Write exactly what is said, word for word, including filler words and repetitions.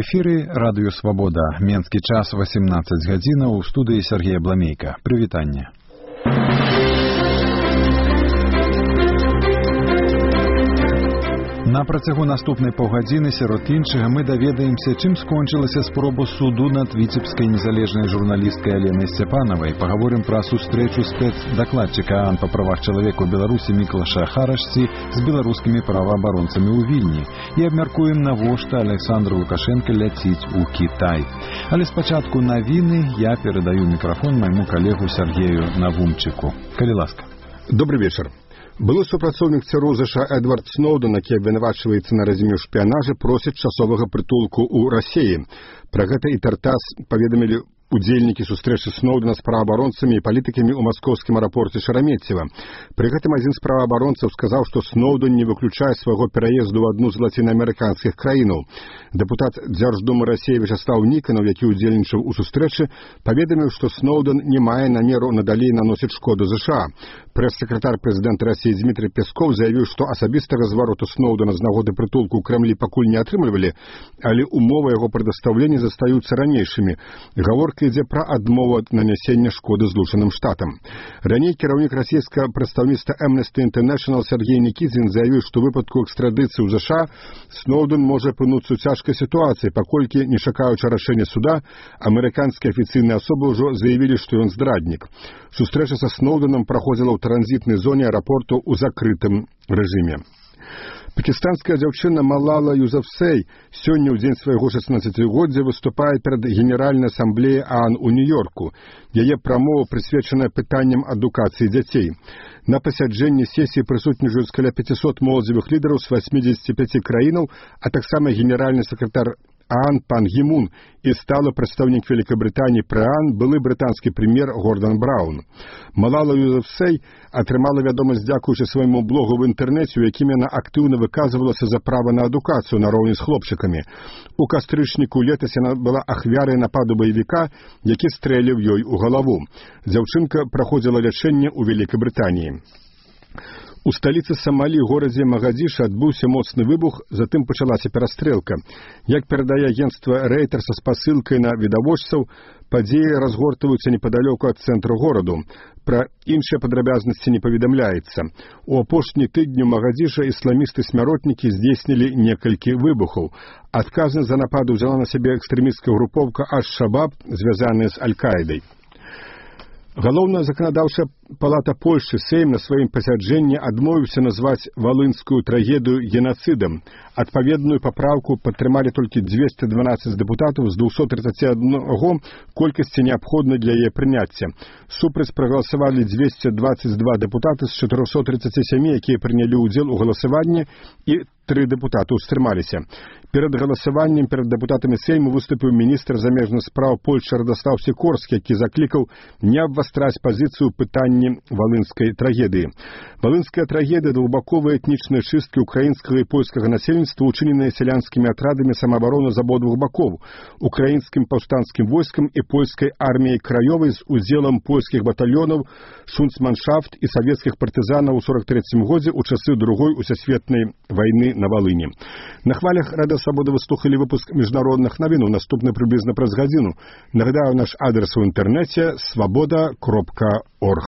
эфіры радыё Свабода. Менскі час восемнадцать гадзінаў, у студыі Сергея Бламейка. Прывітанне. На працягу наступнай паўгадзіны сярод іншага мы даведаемся, чым скончылася спроба суду над віцебскай незалежнай журналісткай Аленай Сцяпанавай. Пагаворым пра сустрэчу спецдакладчыка ААН па правах чалавека ў Беларусі Міклаша Харашці з беларускімі праваабаронцамі ў Вільні і абмяркуем, навошта Александр Лукашенко ляціць у Кітай. Але спачатку навіны я перадаю мікрафон майму калегу Сергею Навумчыку. Калі ласка. Добрый вечер. Былы супрацоўнік ЦРУ ЗША Эдвард Сноўдэн, які абвінавачваецца на разьме ў шпіянажы, просіць часовага прытулку ў Расіі. Пра гэта і Тартас паведамілі удзельнікі сустрэчы Сноўдэна з праваабаронцамі і палітыкамі ў маскоўскім аэрапорце Шарамеццева. Пры гэтым адзін з праваабаронцаў сказаў, што Сноўдэн не выключае свайго пераезду ў адну з лацінаамерыканскіх краінаў. Дэпутат Дзярждумы Расіі Вячаслаў Ніканаў, які ўдзельнічаў у сустрэчы, паведаміў, што Сноўдэн не мае намеру надалей наносіць шкоду ЗША. Прэс-сакратар прэзідэнта Расіі Дмітрый Песков заявіў, што асабістага звароту Сноўдэна з нагоды прытулку ў Крэмлі пакуль не атрымлівалі, але умовы яго прадастаўлення застаюцца ранейшымі. Гаворка ідзе пра адмову ад нанясення шкоды Злучаным Штатам. Раней кіраўнік расійскага прадстаўніцтва Amnesty International Сергей Никитин заявіў, што ў выпадку экстрадыцыі ў ЗША Сноўдэн можа апынуцца ў цяжкай сітуацыі, паколькі, не чакаючы рашэння суда, амерыканскія афіцыйныя асобы ўжо заявілі, што ён здраднік. Сустрэча са Сноўдэнам праходзіла ў транзітнай зоне аэрапорту ў закрытым рэжыме. Пакістанская дзяўчына Малала Юзафзай сёння ў дзень свайго шаснаццацігоддзя выступае перад Генеральнай асамблеяй ААН у Нью-Йорку. Яе прамова прысвечаная пытанням адукацыі дзяцей. На пасяджэнні сесіі прысутнічаюць каля пяцісот моладзевых лідараў з васьмідзесяці пяці краінаў, а таксама генеральны сакратар ААН пан Гімун і сталы прадстаўнік Вялікабрытаніі пры ААН былы брытанскі прэм'ер Гордан Браўн. Малала Юзафзай атрымала вядомасць дзякуючы свайму блогу ў інтэрнэце, у якім яна актыўна выказвалася за права на адукацыю нароўні з хлопчыкамі. У кастрычніку летась яна была ахвярай нападу баевіка, які стрэліў ёй у галаву. Дзяўчынка праходзіла лячэнне ў Вялікабрытаніі. У сталіцы Самалі, горадзе Магадзіша, адбыўся моцны выбух, затым пачалася перастрэлка. Як перадае агенцтва Рэйтэрса з пасылкай на відавочцаў, падзеі разгортваюцца непадалёку ад цэнтру гораду. Пра іншыя падрабязнасці не паведамляецца. У апошні тыдню Магадзіша ісламісты-смяротнікі здзейснілі некалькі выбухаў. Адказнасць за нападу взяла на сябе экстрэмісцкая групоўка Аш-Шабаб, звязаная з Аль-Каідай. Галоўная заканадаўчая палата Польшчы Сейм на сваім пасяджэнні адмовіўся назваць валынскую трагедыю генацыдам. Адпаведную папраўку падтрымалі толькі дзвесце дванаццаць дэпутатаў з двухсот тридцати одного колькасці неабходнай для яе прыняцця. Супраць прагаласавалі дзвесце дваццаць два дэпутаты з чатырохсот тридцати семи, якія прынялі ўдзел у галасаванні, і тры дэпутаты ўстрымаліся. Перад галасаваннем перад дэпутатамі Сейму выступіў міністр замежных спраў Польшчы Радаслаў Сікорскі, які заклікаў не абвастраць пазіцыю пытанні валынскай трагедыі. Валынская трагедыя — двухбаковыя этнічныя чысткі украінскага і польскага насельніцтва, учыненыя сялянскімі атрадамі самаабароны з абодвух бакоў, украінскім паўстанцкім войскам і польскай арміяй краёвай з удзелам польскіх батальёнаў, шунцманшафт і савецкіх партызанаў у сорок трэцім годзе ў часы другой усесветнай вайны на Валыні. На хвалях Рада Свабода выслухалі выпуск міжнародных навін. Наступны прыблізна праз гадзіну. Нагадаю, наш адрес у інтэрнэце свабода кропка орг.